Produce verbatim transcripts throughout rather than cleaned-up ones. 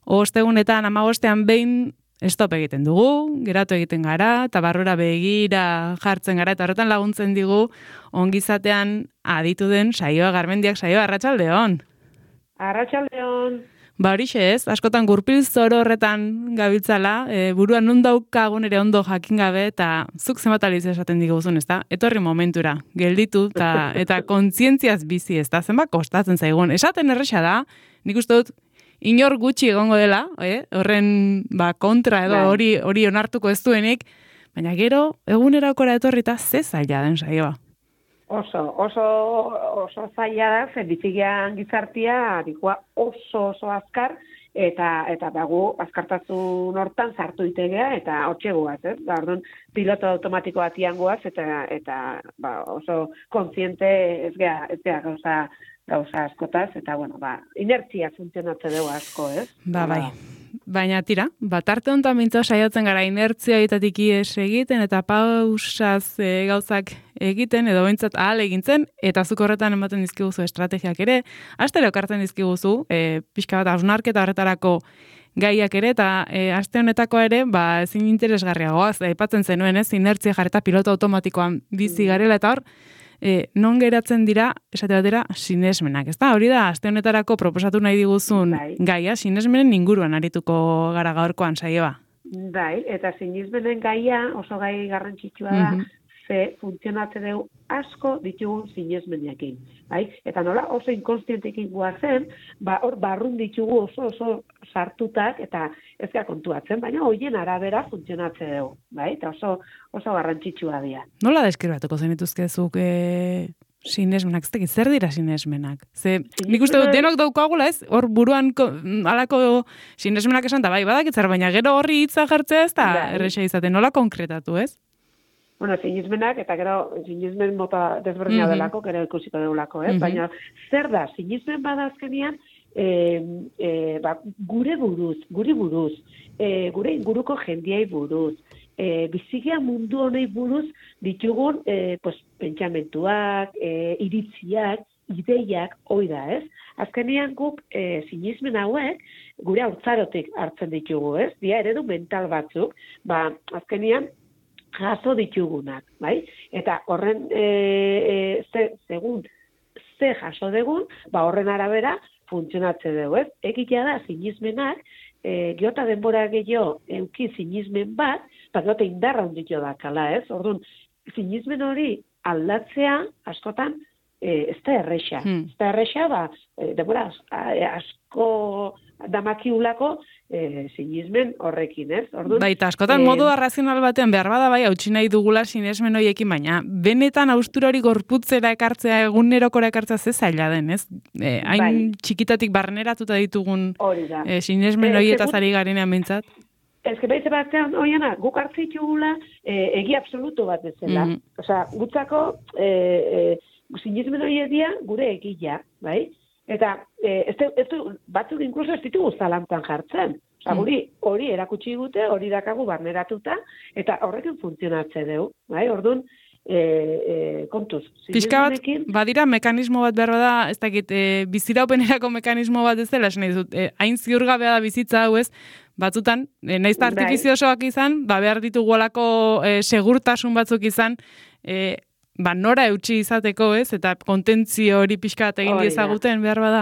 ostegunetan, amabostean behin stop egiten dugu, geratu egiten gara, eta barrura begira jartzen gara, eta horretan laguntzen digu ongizatean aditu den saioa, Garmendiak saioa, arratsaldeon. Arratsaldeon. Ba horixe ez, askotan gurpil zoro horretan gabiltzala, e, buruan non daukagun ere ondo jakin gabe, eta zuk zenbat aliz esaten diguzun, ezta? Etorri momentura, gelditu, eta, eta kontzientziaz bizi, ezta? Zenbat kostatzen zaigun. Esaten erresa da, nik uste dut, inor gutxi egongo dela, eh? Horren ba, kontra edo hori hori onartuko ez duenik, baina gero egunerakora etorrita ze zaila den saioa. Oso, oso, oso zaila da, zen bizigian gizartia, dikua oso, oso azkar, eta, eta bagu azkartasun hortan sartu itegea, eta hotxe guaz, ez? Ba, orduan, piloto automatiko batian guaz, eta, eta ba, oso kontziente ez gea, ez gea gauza, gauza askotaz, eta, bueno, ba, inertzia funtzionatze dugu asko, ez? Ba, bai. Baina tira, bat arte honetan mintza saiatzen gara inertzia itatik ies egiten, eta pausaz e, gauzak egiten, edo bintzat ahal egintzen, eta zuk horretan ematen dizkiguzu estrategiak ere, astero kartzen dizkiguzu, e, pixka bat hausnarketa horretarako gaiak ere, eta e, aste honetako ere, ba, ezin interesgarriagoaz, aipatzen zenuen ez, inertzia jarreta piloto automatikoan bizi garela, eta hor, E, non geratzen dira, esate batera, sinesmenak, ezta? Hori da, aste honetarako proposatu nahi diguzun bai. Gaia, sinesmenen inguruan arituko gara gaurkoan saioa. Bai, eta sinesmenen gaia oso gai garrantzitsua da, mm-hmm. ze funtzionatze dugu asko ditugun sinesmenekin. Bai? Eta nola oso inkonstientekin guazen, ba, hor barrun ditugu oso oso sartutak, eta ez gara kontuatzen, baina hoien arabera funtzionatze dugu. Bai? Eta oso, oso garrantzitsua dira. Nola deskribatuko zenituzkezuk e, sinesmenak? Ez zer dira sinesmenak? Ze, nik uste dut denok daukagula ez, hor buruan ko, alako sinesmenak esan, da bai, badakitzar, baina gero horri hitza jartzea ez da erresa izaten, nola konkretatu ez? Bueno, sinismenak, eta gero sinismen mota desberdina mm-hmm. delako, gero ikusiko deulako, eh? Mm-hmm. Baina zer da, sinismen bada azkenean, e, e, ba, gure buruz, gure buruz, e, gure inguruko jendiai buruz, e, bizigia mundu honei buruz ditugun e, pues, pentsamentuak, e, iritziak, ideiak, hoi da, ez? Azkenean guk e, sinismen hauek gure haurtzarotik hartzen ditugu, ez? Dia eredu mental batzuk, ba, azkenean jaso ditugunak, bai? Eta horren, e, e, ze, segun, ze jaso dugun, ba horren arabera funtzionatze dugu, ez? Egitea da, sinismenak, e, geota denbora gehiago euki sinismen bat, ba geota indarra hunditu da kala, ez? Orduan, sinismen hori aldatzea, askotan, e, ez da erresa. Hmm. Ez da erresa, ba, e, denbora asko damakiulako, E, sinismen horrekin, ez? Orduan, baita, askotan e, modu arrazional batean behar bada bai, hautsi nahi dugula sinesmen horiekin, baina benetan haustura hori gorputzera ekartzea, egunerokora ekartzea ze zaila den, ez? E, hain bai. Txikitatik barneratuta ditugun e, sinesmen horietaz ari garenean bintzat. Ez que behitze batean, oiana, guk hartzitugula e, egi absoluto bat bezala. Mm-hmm. Osea, gutzako e, e, sinesmen horiek dira gure egia, bai? Eta eh, ez, ez, batzuk inkluso ez ditugu zalantzan jartzen. Osa, guri hori erakutsi gute, hori dakagu barneratuta, eta horrekin funtzionatze dugu. Bai? Orduan, e, e, kontuz. Pixka bat, badira mekanismo bat behar da, ez dakit, e, biziraupenerako mekanismo bat ez dela, esan dizut, e, hain ziurgabea da bizitza hau ez, batzutan, e, nahiz da artifiziosoak izan, ba, behar ditugolako e, segurtasun batzuk izan, e, ba, nora eutxi izateko, ez? Eta kontentzio hori pixka bat egin diezaguten behar bada?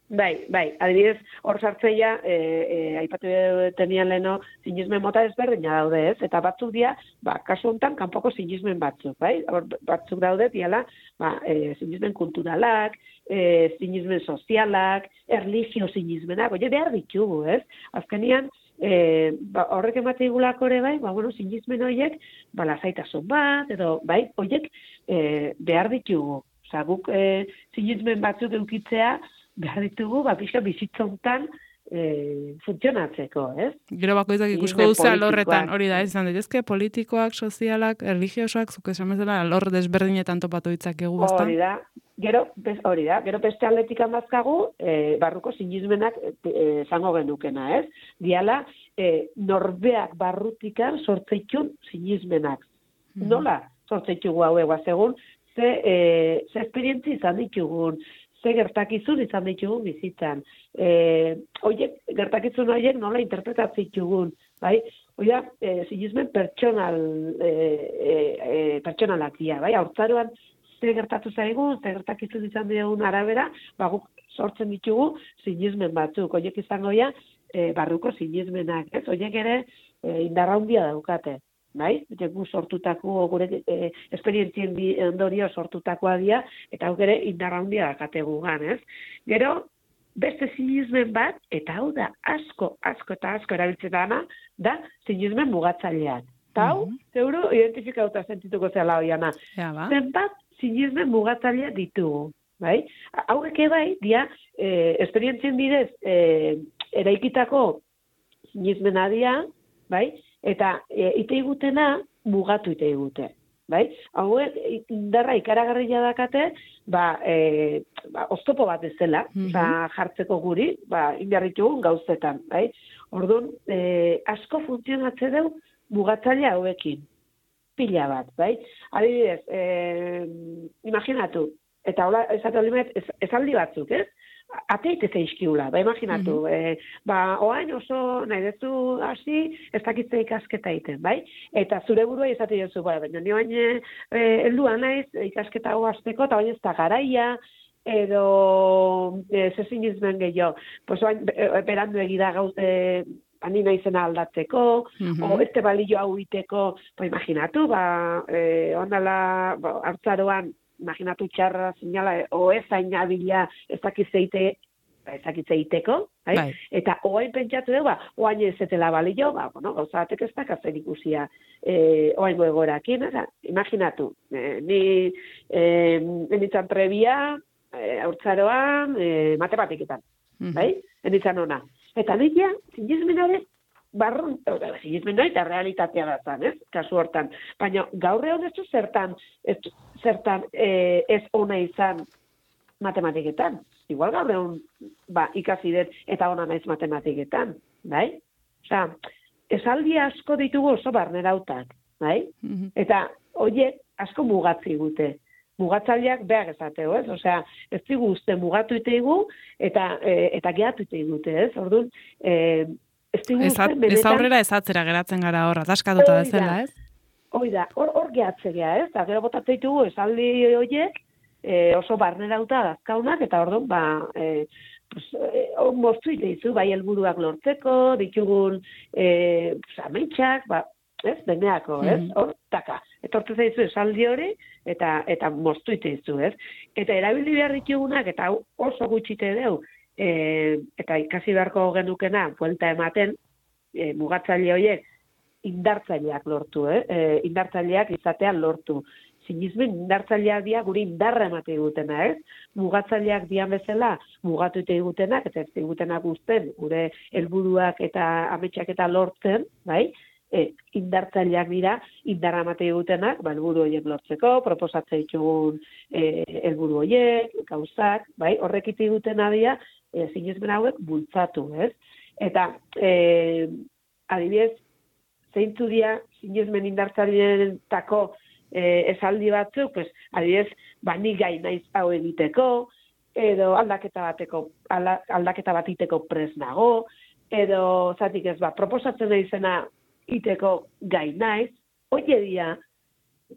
Bai, bai. Adibidez, hor sartzeia, e, e, aipatu tenian leheno, sinismen mota ezberdina daude, ez? Eta batzuk dira, ba, kasu honetan, kanpoko sinismen batzuk, bai? Hor batzuk daude, diala, ba, e, sinismen kulturalak, e, sinismen sozialak, erlijio sinismenak, oie, behar ditugu, ez? Azkenian, E, ba, horrek emate igulako ere bai, ba, bueno, sinismen horiek, ba, lasaitasun bat, edo, bai, horiek e, behar ditugu. Osa, guk e, sinismen batzuk eukitzea, behar ditugu, ba, pixka bizitzontan e, funtzionatzeko, ez? Gero bakoitzak ikusko duzu alorretan, hori da, ez izan daitezke, politikoak, sozialak, erlijiosoak, zuk esan bezala, alor desberdinetan topatu ditzakegu, ezta? Hori da. Gero, hori da, gero beste atletik amazkagu, e, barruko sinismenak esango e, genukena, ez? Diala, e, norbeak barrutikan sortzeitun sinismenak. Mm-hmm. Nola sortzeitugu hau eguaz egun, ze, e, ze esperientzi izan ditugun, ze gertakizun izan ditugun bizitzan. E, oiek, gertakizun horiek nola interpretatzen ditugun, bai? Oia, e, sinismen pertsonal, e, e, e, pertsonalak dira, bai? Haurtzaroan ze gertatu zaigu, ze gertakizun izan ditugun arabera, ba, guk sortzen ditugu sinismen batzuk. Oiek izango ja, e, barruko sinismenak, ez? Oiek ere e, indarra handia daukate. Bai, gu sortutako, gure e, esperientzien ondorio sortutakoa dira, eta hau ere indarra handia dakate gugan, ez? Gero, beste sinismen bat, eta hau da asko, asko eta asko erabiltzen dana, da sinismen mugatzaileak. Eta hau, mm -hmm. zeuro, identifikauta sentituko zela hoiana. Ja, ba. Zenbat sinismen mugatzaileak ditugu, bai? Hauek bai, dia, e, esperientzien bidez, e, eraikitako sinismena dira, bai? Eta e, ite igutena mugatu ite igute, bai? Hauek indarra ikaragarria dakate, ba, e, ba, oztopo bat ez dela, mm -hmm. ba, jartzeko guri, ba, indarritugun gauzetan, bai? Orduan, e, asko funtzionatze deu mugatzaile hauekin, pila bat, bai? Adibidez, e, imaginatu, eta hola, esatu limet, ez, esaldi batzuk, ez? Ateite zeizkiula, ba, imaginatu, mm -hmm. e, ba, oain oso nahi dezu hasi, ez dakitze ikasketa egiten, bai? Eta zure burua izate jozu, bai, baina ni oain e, heldua naiz ikasketa hau hasteko, eta oain ez da garaia, edo e, zezinizmen gehiago, pues oain e, berandu egida gauz, e, ani naizena aldatzeko, mm -hmm. o este balio hau iteko, ba, imaginatu, ba, e, ondala, ba, hartzaroan, imaginatu txarra, zinala, o ez ainabila, ez dakitzeite, ez dakitzeiteko, bai? Eta oain pentsatu dugu, ba, oain ez etela balio, ba, bueno, gauzatek ez dakatzen ikusia, e, oain goegorakin, eta, imaginatu, e, ni, e, enitzan prebia, e, haurtzaroan, e, matematiketan, mm-hmm. bai? Enitzan ona. Eta nila, sinismenare, barrun, sinismen eta realitatea da zan, ez? Kasu hortan. Baina gaur egon ez du zertan, ez, zertan e, ez ona izan matematiketan. Igual gaur egon ba, ikasi dut eta ona naiz matematiketan, bai? Osea, esaldi asko ditugu oso barnerautak, bai? Mm-hmm. Eta horiek asko mugatzi gute. Mugatzaileak behar esateo, ez? Osea, ez digu uste mugatu iteigu eta, e, eta gehatu iteigute, ez? Orduan, e, Ez, Ezat, ez aurrera ez atzera geratzen gara horra, taskatuta bezala, ez? Hoi da, hor, hor gehatze geha, ez? Eta gero botatzen ditugu esaldi horiek e, oso barnerauta dazkaunak, eta orduan, ba, e, pues, e, moztu iteizu, bai helburuak lortzeko, ditugun e, ametxak, ba, ez? Deneako, ez? Mm-hmm. Hor, taka. Etortzen zaizu esaldi hori, eta eta moztu iteizu, ez? Eta erabili behar ditugunak, eta oso gutxite deu, E, eta ikasi beharko genukena, buelta ematen, e, mugatzaile horiek indartzaileak lortu, eh? E, indartzaileak izatean lortu. Sinismen indartzaileak dia guri indarra emate digutena, ez? Mugatzaileak dian bezala, mugatu ite digutenak, eta ez digutenak guzten, gure helburuak eta ametsak eta lortzen, bai? E, indartzaileak dira, indarra emate digutenak, ba, helburu horiek lortzeko, proposatzen ditugun e, helburu horiek, gauzak, bai? Horrekite digutena dira, E, sinismen hauek bultzatu, ez? Eta, e, adibidez, zeintzu dira sinismen indartzaileetako e, esaldi batzuk, pues, adibidez, ba, ni gai naiz hau egiteko, edo aldaketa bateko, alda, aldaketa bat iteko pres nago, edo, zatik ez, ba, proposatzen naizena iteko gai naiz, hoie dira,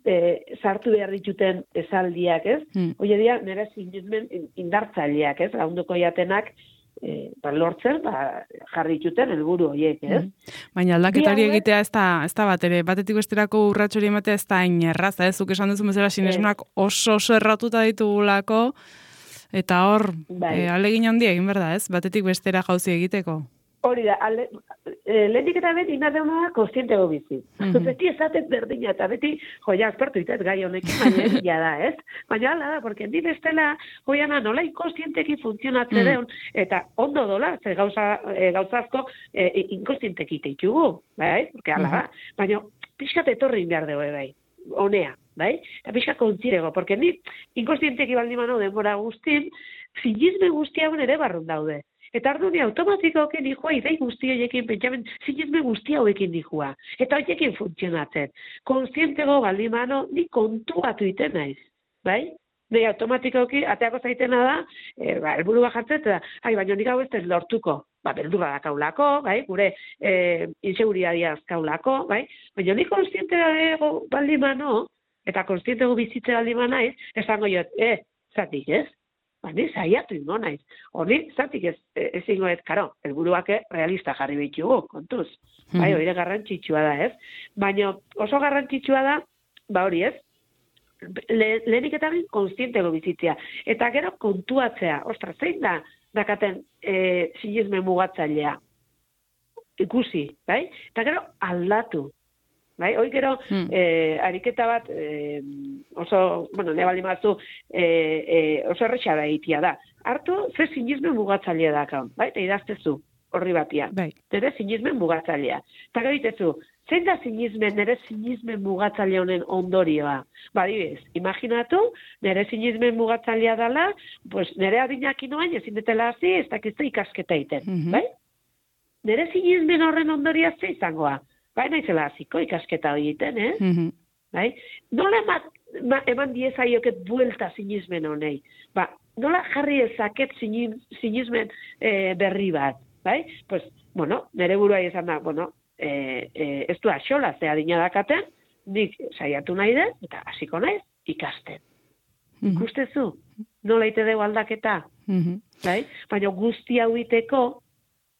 E, sartu behar dituten esaldiak, ez? Hmm. Oie dira, nire sinismen indartzaileak, ez? Launduko jatenak e, ba, lortzen, ba, jarri dituten helburu horiek, ez? Hmm. Baina aldaketari egitea ez da, ez da bat ere, batetik besterako urratxori ematea ez da inerraza, ez? Zuk esan duzu bezala sinismenak oso oso erratuta ditugulako, eta hor, bai. e, alegin handia egin berda, ez? Batetik bestera jauzi egiteko. Hori da, ale, e, lehenik eta beti inarreuna da konstientego bizi. Mm-hmm. Beti esaten berdina, eta beti, joia, aspertu itez gai honekin, baina egia da, ez? Baina ala da, porque ni bestela, joiana, nola inkonstienteki funtzionatze mm. deun, eta ondo dola, ze gauza, e, gauzazko e, inkonstienteki teitugu, bai? Porque ala da, mm-hmm. baina pixkat etorri behar dugu, bai? Honea, bai? Eta pixkat kontzirego, porque ni inkonstienteki baldin manu denbora guztin, sinisme guztiagun ere barrun daude. Eta arduni automatikoak nihua idei guzti horiekin pentsamen sinisme guzti hauekin nihua. Eta horiekin funtzionatzen. Konstientego baldimano ni kontuatu iten naiz. Bai? Nei automatikoki ateako zaitena da, e, ba, helburu bat jartzen, eta, ai, baina nik hau ez ez lortuko. Ba, beldurra dakaulako, bai, gure e, inseguriadia azkaulako, bai, baina nik konstiente dago baldimano, eta konstientego bizitze baldima naiz, esango jo, e, zatik ez? Ba, ni zaiatu ingo naiz. Hori, zatik ez, ez ingo ez, karo, helburuak realista jarri behitugu, kontuz. Bai, hori garrantzitsua da, ez? Baina oso garrantzitsua da, ba hori ez, Le, lehenik eta bin konstientego bizitzea. Eta gero kontuatzea. Ostra, zein da dakaten e, sinismen mugatzailea? Ikusi, bai? Eta gero aldatu. Bai? Hoi gero hmm. e, ariketa bat e, oso, bueno, ne baldin batzu e, e, oso erretxa da egitea da. Hartu, ze sinismen mugatzailea daka. Bai? Eta idaztezu horri batia. Bai. Nere sinismen mugatzailea. Eta gero itezu, zein da sinismen, nere sinismen mugatzaile honen ondorioa? Ba, dibez, imaginatu, nere sinismen mugatzailea dela, pues, nere adinak inoain ezin detela hazi, ez dakizte ikasketa iten, mm-hmm. bai? Nere sinismen horren ondorioa ze izangoa? Bai, naizela haziko ikasketa hori iten, eh? Mm-hmm. Bai? Nola eman, ma, eman diezaioket buelta sinismen honei? Ba, nola jarri ezaket sinismen eh, berri bat? Bai? Pues, bueno, nere burua izan da, bueno, E, e, ez du axola, ze adina dakaten, nik saiatu nahi den, eta hasiko naiz ikasten. Mm-hmm. Ikustezu, nola ite dugu aldaketa? Mm-hmm. Bai? Baina guzti hau iteko,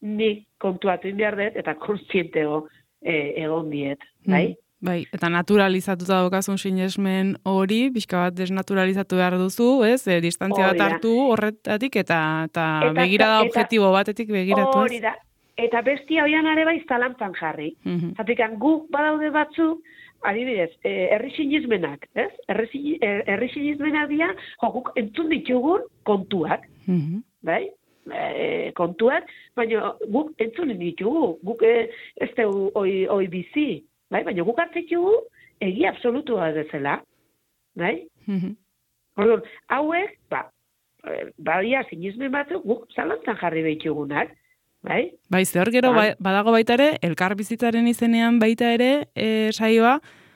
nik kontuatu behar dut, eta konstientego e, egon diet. Bai? Mm-hmm. Bai, eta naturalizatuta daukazun sinesmen hori, pixka bat desnaturalizatu behar duzu, ez? E, distantzia bat hartu horretatik, eta, eta, eta begirada eta, objektibo batetik begiratu, ez? Hori da. Eta bestia hoian ere bai zalantzan jarri. Mm-hmm. Zatikan guk badaude batzuk, adibidez, herri sinismenak, ez? Herri sinismenak dira, jo, guk entzun ditugun kontuak, mm-hmm. bai? E, kontuak, baina guk entzun ditugu, guk e, ez dugu oi, oi bizi, bai? Baina guk hartzitugu egi absolutua dezela, bai? Mm-hmm. Orduan, hauek, ba, badia sinismen batzuk guk zalantzan jarri behitugunak, bai? Bai, ze hor gero ba, badago baita ere, elkar bizitzaren izenean baita ere, e, saioa,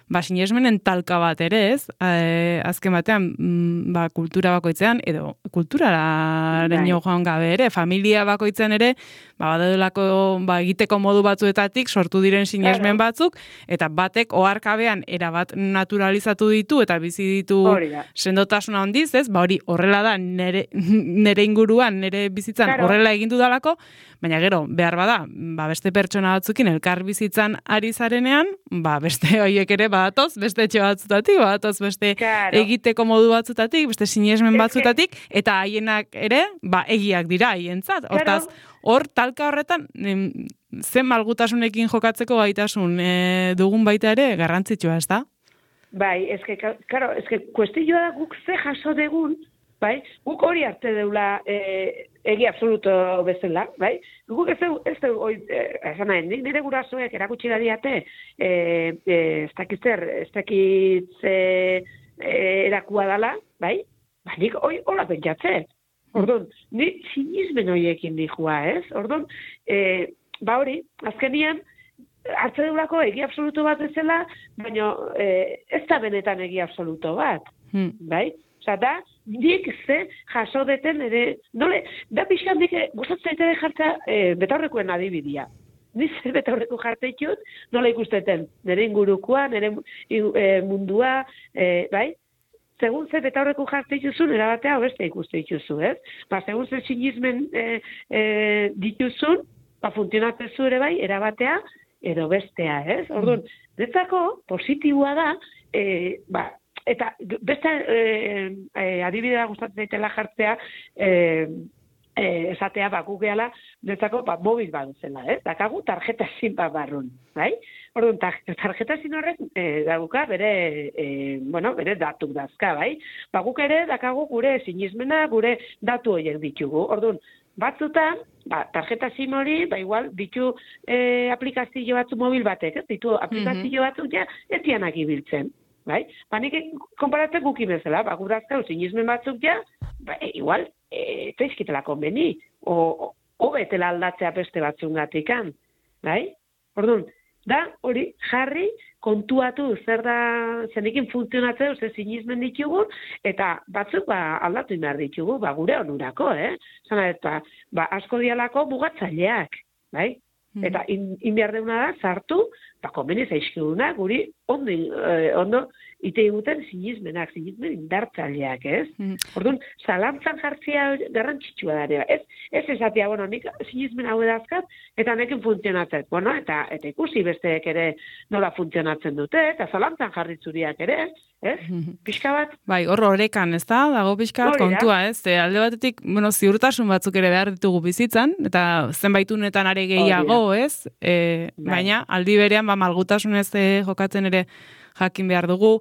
ba, sinesmenen talka bat ere, ez? E, azken batean, m, ba, kultura bakoitzean, edo kulturaren bai. joan gabe ere, familia bakoitzean ere, ba, badadelako, ba, egiteko modu batzuetatik sortu diren sinesmen claro. batzuk, eta batek oharkabean erabat naturalizatu ditu, eta bizi ditu sendotasuna handiz, ez? Ba, hori horrela da, nere, nere inguruan, nere bizitzan claro. horrela egin dudalako, baina gero, behar bada, ba, beste pertsona batzukin elkar bizitzan ari zarenean, ba, beste horiek ere badatoz, beste etxe batzutatik, badatoz beste claro. egiteko modu batzutatik, beste sinesmen batzutatik, eta haienak ere, ba, egiak dira haientzat. Hortaz, hor, talka horretan, em, zen malgutasunekin jokatzeko gaitasun e, dugun baita ere, garrantzitsua, ez da? Bai, ezke, karo, ezke, kuestioa da guk ze jaso degun, bai, guk hori arte deula e, egi absoluto bezala, bai, guk ez du, ez du, esan nahi, nire gurasoek erakutsi da diate, e, e, ez dakitzer, ez dakitze e, erakua dala, bai, ba, nik hori hola pentsatze. Orduan, ni sinismen horiekin dihua, ez? Orduan, e, ba hori, azkenian, hartze deulako egi absoluto bat ezela, baina e, ez da benetan egi absoluto bat, hmm. bai? Osa, da, nik ze jaso deten ere, nole, da pixkan dik, gustatzen ere jartza e, betaurrekoen adibidia. Ni ze betaurreko jarteitut, nola ikusteten, nire ingurukoa, nire e, mundua, e, bai? Segun ze betaurreko jarteituzun, erabatea beste ikuste dituzu, ez? Ba, segun ze sinismen e, e, dituzun, ba, funtzionatzezu ere bai, erabatea, edo bestea, ez? Orduan, netzako positiboa da, e, ba, eta beste e, e, adibidea gustatzen daitela jartzea, e, e, esatea, ba, gugeala, netzako, ba, mobil bat zela, ez? Dakagu tarjeta zin bat barrun, bai? Orduan, tarjeta zin horrek e, daguka bere, e, bueno, bere datu dazka, bai? Ba, guk ere dakagu gure sinismena, gure datu horiek ditugu. Orduan, batzutan, ba, tarjeta SIM hori, ba, igual, ditu e, aplikazio batzu mobil batek, ez? Ditu aplikazio mm-hmm. batzuk ja, ez dianak ibiltzen, bai? Ba, nik konparatzen guki bezala, ba, gurazkau, sinismen batzuk ja, ba, e, igual, ez da izkitela konbeni, o, o betela aldatzea beste batzungatikan, bai? Orduan, da hori jarri, kontuatu zer da zenekin funtzionatzea, ze sinismen ditugu, eta batzuk ba, aldatu behar ditugu, ba, gure onurako, eh? Zana, eta, ba, asko dialako mugatzaileak, bai? Eta in, in behar deuna da, sartu, ba, komeni zaizkiduna, guri ondo, eh, ondo ite eguten sinismenak, sinismen indartzaileak, ez? Mm. Orduan, zalantzan jartzea garrantzitsua da, ez? Ez esatia, bueno, nik sinismen hau edazkat, eta nekin funtzionatzen, bueno, eta, eta ikusi besteek ere nola funtzionatzen dute, eta zalantzan jarritzuriak ere, ez? Mm. Pixka bat? Bai, hor horekan, ez da? Dago pixka bat kontua, ez? E, alde batetik, bueno, ziurtasun batzuk ere behar ditugu bizitzan, eta zenbaitunetan are gehiago, ez? E, baina, aldi berean, ba, malgutasunez e, jokatzen ere jakin behar dugu.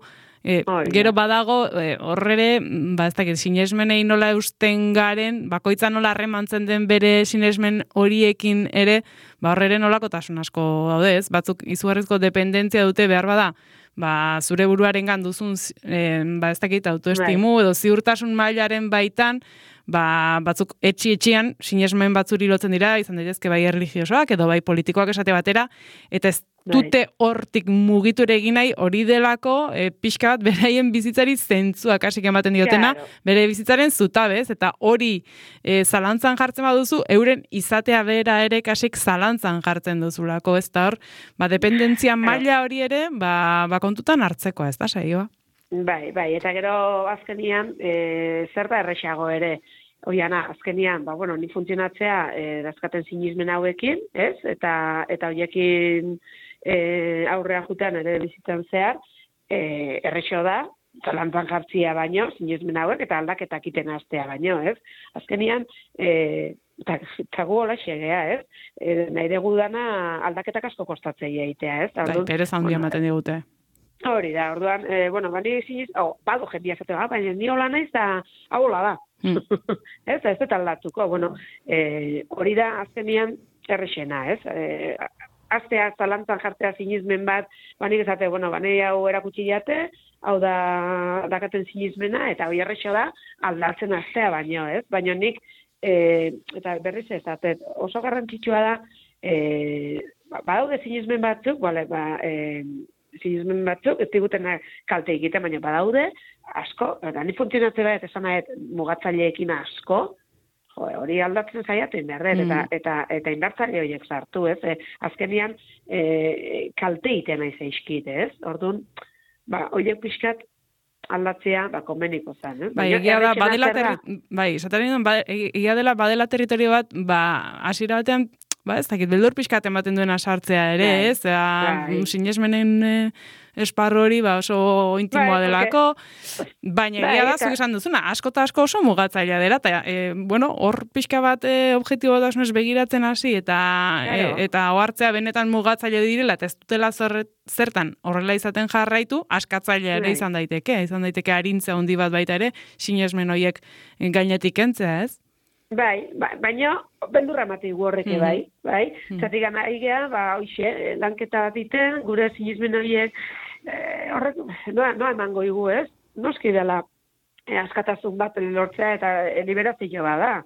E, gero badago, e, horrere, ba, ez dakit, sinesmenei nola eusten garen, bakoitza nola harremantzen den bere sinesmen horiekin ere, ba, horrere nolakotasun asko daude, ez? Batzuk izugarrizko dependentzia dute behar bada, ba, zure buruaren duzun, e, ba, ez dakit, autoestimu, edo ziurtasun mailaren baitan, ba, batzuk etxi-etxian sinesmen batzuri lotzen dira, izan daitezke bai erlijiosoak, edo bai politikoak esate batera, eta ez dute hortik mugitu ere egin nahi hori delako e, pixka bat beraien bizitzari zentzuak hasik ematen diotena, claro. Bere bizitzaren zutabez, eta hori e, zalantzan jartzen baduzu, euren izatea bera ere kasik zalantzan jartzen duzulako, ez da hor, ba, dependentzia maila hori ere, ba, ba kontutan hartzeko, ez da, saioa? Bai, bai, eta gero azkenian, e, zer da errexago ere, Oiana, azkenian, ba, bueno, ni funtzionatzea e, dazkaten sinismen hauekin, ez? Eta, eta hoiekin e, aurrea jutean ere bizitzan zehar, e, errexo da, zalantzan jartzia baino, sinismen hauek, eta aldaketak iten hastea baino, ez? Azkenian, e, eta gu hola xegea, ez? E, nahi dugu dana aldaketak asko kostatzei egitea, ez? Bai, perez handia ematen digute. Hori da, orduan, e, bueno, bani siniz, oh, bado jendia zatea, baina ni hola naiz da, hau hola da. Mm. ez, ez eta aldatuko, bueno, e, hori da azkenian errexena, ez? E, aztea, zalantzan jartzea sinismen bat, banik ezate, bueno, bani hau erakutsi jate, hau da dakaten sinismena, eta hori errexo da, aldatzen aztea baino, ez? Baina nik, e, eta berriz ez, oso garrantzitsua da, e, badaude sinismen batzuk, bale, ba, e, sinismen batzuk, ez diguten kalte egiten, baina badaude, asko, eta ni funtzionatzen bat, esan nahet, mugatzaileekin asko, jo, hori aldatzen zaiaten behar, mm. eta, eta, eta indartzaile horiek sartu, ez? E, azkenian, e, kalte egiten nahi zaizkit, ez? Orduan, ba, horiek pixkat aldatzea, ba, konbeniko zen, ez? Bai, egia da, badela, terri... bai, ba, egia dela, badela territorio bat, ba, hasiera batean, ba, ez dakit, beldur pixkat ematen duena sartzea ere, bai, ez? Bai. Sinesmenen e, esparru hori, ba, oso intimoa bai, delako, okay. Baina bai, egia da, zuk esan duzuna, asko eta asko oso mugatzailea dela, eta, e, bueno, hor pixka bat e, objektibo dasunez begiratzen hasi, eta claro. e, eta ohartzea benetan mugatzaile direla, eta ez dutela zerret, zertan horrela izaten jarraitu, askatzailea ere izan daiteke, izan daiteke arintza handi bat baita ere, sinesmen horiek gainetik kentzea, ez? Bai, ba, baina beldurra mati horreke mm-hmm. bai, bai. Mm-hmm. Zatik gana igea, ba, hoxe, lanketa bat iten, gure sinismen horiek, eh, horrek, noa, noa emango igu, ez? Noski dela, eh, askatasun bat lortzea eta eh, liberazio bat da.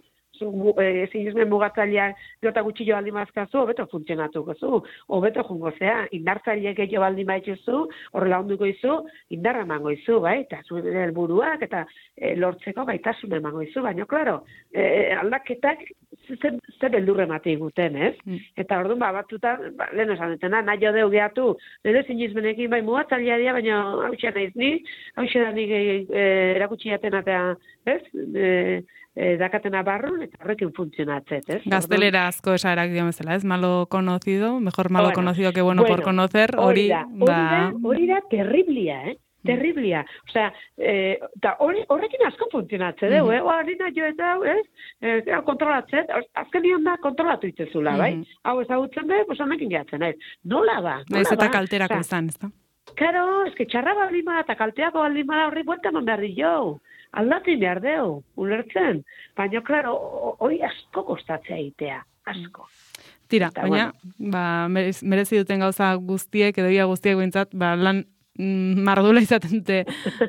Zu, eh, sinismen mugatzaileak jota gutxillo baldin mazkazu, hobeto funtzionatuko zu, hobeto jungo zea, indartzaileak gehiago baldin baitzuzu, horrela onduko izu, indarra emango izu, bai, eta zuen helburuak eta e, lortzeko gaitasun emango izu, baina, klaro, e, aldaketak ze, ze beldurre mati guten, ez? Mm. Eta orduan, ba, batutan, ba, lehen esan dutena, nahi jo deu gehiatu, nire sinismenekin, bai, mugatzailea dira, baina hau naiz ni, hau da nik e, erakutsi jaten eta, ez? E, E, dakatena barrun, eta horrekin funtzionatzet, ez? Gaztelera asko esarak dio bezala, ez? Malo conocido, mejor malo bueno, conocido que bueno, bueno por conocer, hori da, ba... hori da terriblia, eh? Terriblia. Osea, eh, da horrekin asko funtzionatze dugu, eh? Hori da jo eta, ez? Eh, kontrolatzen, azken nion da kontrolatu itzezula, bai? Mm-hmm. Hau ezagutzen be, pues honekin gehatzen, ez? Nola ba? Ez eta kalterako izan, ez da? Karo, ez que txarra baldin bada eta kalteako baldin bada horri buelta man behar di jo. Aldatu behar deu, ulertzen. Baina, klaro, hori asko kostatzea egitea, asko. Tira, eta, baina, bueno. ba, merezi duten gauza guztiek, edo ia guztiek bintzat, ba, lan mardula izaten dute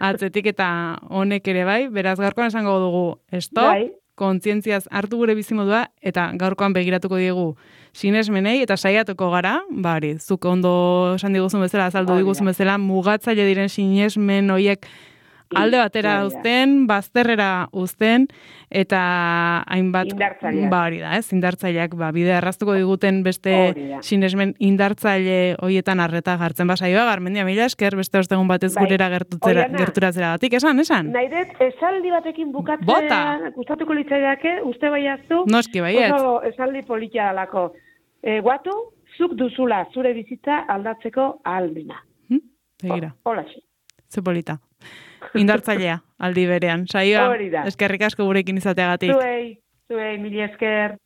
atzetik eta honek ere bai, beraz garkoan esango dugu, stop, bai. kontzientziaz hartu gure bizimodua, eta gaurkoan begiratuko diegu sinesmenei, eta saiatuko gara, bari, zuk ondo esan diguzun bezala, azaldu diguzun bezala, mugatzaile diren sinesmen horiek alde batera uzten, bazterrera uzten, eta hainbat... Indartzaileak. Ba, hori da, ez? Indartzaileak, ba, bidea erraztuko diguten beste sinesmen indartzaile horietan arreta jartzen basaioa, Garmendia, mila esker, beste ostegun batez bai. Gurera gertutzera, gerturatzera batik, esan, esan? Nahi dut, esaldi batekin bukatzea, gustatuko litzaideake, uste baiaztu, noski baiet. Oso esaldi politia dalako. E, guatu, zuk duzula zure bizitza aldatzeko ahalmena. Hm? Begira. Hola, ze polita. Indartzailea, aldi berean. Saioa, eskerrik asko gurekin izateagatik. Zuei, zuei, mila esker.